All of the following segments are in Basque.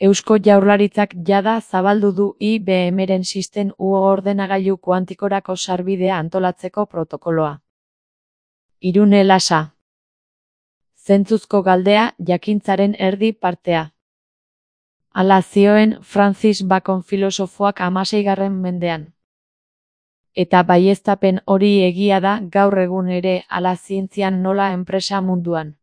Eusko Jaurlaritzak jada zabaldu du IBM-ren System U ordenagailu kuantikorako sarbidea antolatzeko protokoloa. Irune Lasa. Zentzuzko galdea, jakintzaren erdi partea. Hala zioen Francis Bacon filosofoak 16. mendean. Eta baieztapen hori egia da gaur egun ere hala zientzian nola enpresa munduan.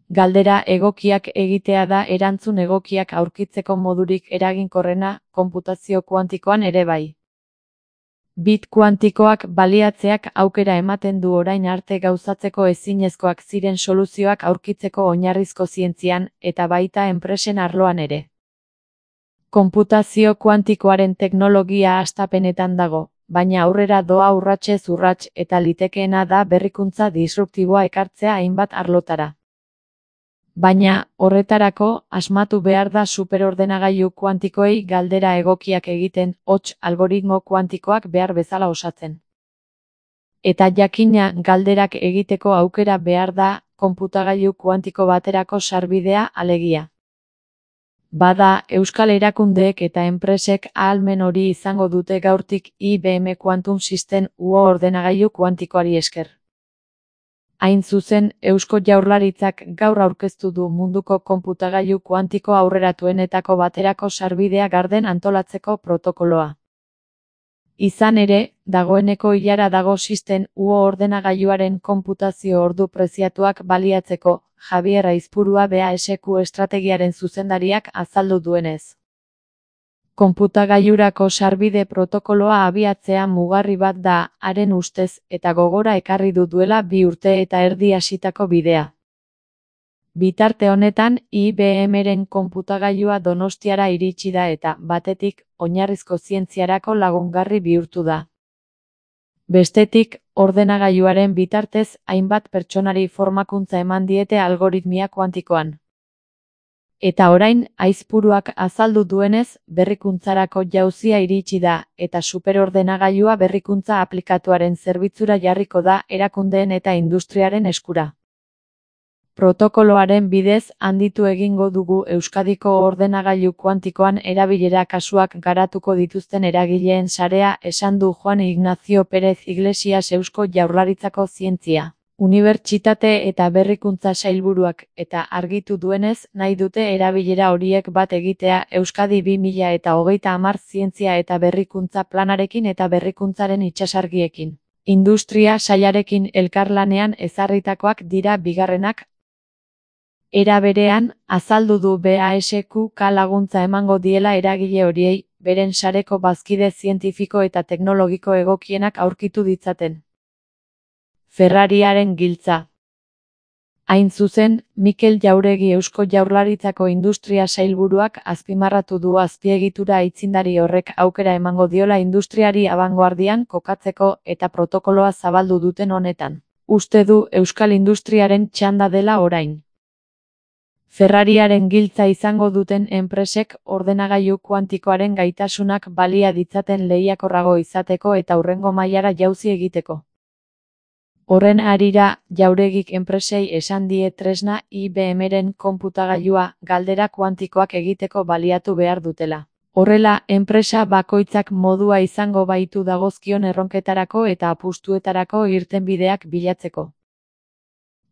Galdera egokiak egitea da erantzun egokiak aurkitzeko modurik eraginkorrena, konputazio kuantikoan ere bai. Bit kuantikoak baliatzeak aukera ematen du orain arte gauzatzeko ezinezkoak ziren soluzioak aurkitzeko oinarrizko zientzian, eta baita enpresen arloan ere. Konputazio kuantikoaren teknologia hastapenetan dago, baina aurrera doa urratsez urrats eta litekeena da berrikuntza disruptiboa ekartzea hainbat arlotara. Baina, horretarako, asmatu behar da superordenagailu kuantikoei galdera egokiak egiten, hots, algoritmo kuantikoak behar bezala osatzen. Eta jakina, galderak egiteko aukera behar da, konputagailu kuantiko baterako sarbidea alegia. Bada, euskal erakundeek eta enpresek ahalmen hori izango dute gaurtik IBM Quantum System U ordenagailu kuantikoari esker. Hain zuzen, Eusko Jaurlaritzak gaur aurkeztu du munduko konputagailu kuantiko aurreratuenetako baterako sarbidea garden antolatzeko protokoloa. Izan ere, dagoeneko ilara dago System U ordenagailuaren konputazio ordu preziatuak baliatzeko, Javier Aizpurua BASQ estrategiaren zuzendariak azaldu duenez. Konputagailurako sarbide protokoloa abiatzea mugarri bat da, haren ustez, eta gogora ekarri duela 2 urte eta erdi hasitako bidea. Bitarte honetan, IBM-ren konputagailua Donostiara iritsi da eta, batetik, oinarrizko zientziarako lagungarri bihurtu da. Bestetik, ordenagailuaren bitartez, hainbat pertsonari formakuntza eman diete algoritmia kuantikoan. Eta orain, Aizpuruak azaldu duenez, berrikuntzarako jauzia iritsi da, eta superordenagailua berrikuntza aplikatuaren zerbitzura jarriko da erakundeen eta industriaren eskura. Protokoloaren bidez handitu egingo dugu Euskadiko ordenagailu kuantikoan erabilera kasuak garatuko dituzten eragileen sarea, esan du Juan Ignacio Pérez Iglesias Eusko Jaurlaritzako Zientzia, Unibertsitate eta Berrikuntza Sailburuak, eta argitu duenez, nahi dute erabilera horiek bat egitea Euskadi 2030 zientzia eta berrikuntza planarekin eta berrikuntzaren itsasargiekin. Industria sailarekin elkarlanean ezarritakoak dira bigarrenak. Era berean, azaldu du BASQ laguntza emango diela eragile horiei, beren sareko bazkide zientifiko eta teknologiko egokienak aurkitu ditzaten. Ferrariaren giltza. Hain zuzen, Mikel Jauregi Eusko Jaurlaritzako Industria Sailburuak azpimarratu du azpiegitura aitzindari horrek aukera emango diola industriari abangoardian kokatzeko eta protokoloa zabaldu duten honetan. Uste du euskal industriaren txanda dela orain. Ferrariaren giltza izango duten enpresek ordenagailu kuantikoaren gaitasunak balia ditzaten lehiakorrago izateko eta hurrengo mailara jauzi egiteko. Horren harira, Jauregik enpresei esan die tresna IBM-ren konputagailua galdera kuantikoak egiteko baliatu behar dutela. Horrela, enpresa bakoitzak modua izango baitu dagozkion erronketarako eta apustuetarako irtenbideak bilatzeko.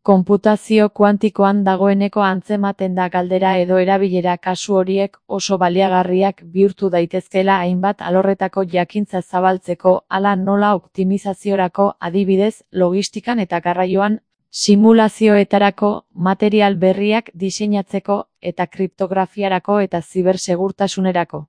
Konputazio kuantikoan dagoeneko antzematen da galdera edo erabilera kasu horiek oso baliagarriak bihurtu daitezkeela hainbat alorretako jakintza zabaltzeko, hala nola optimizaziorako, adibidez, logistikan eta garraioan, simulazioetarako, material berriak diseinatzeko eta kriptografiarako eta zibersegurtasunerako.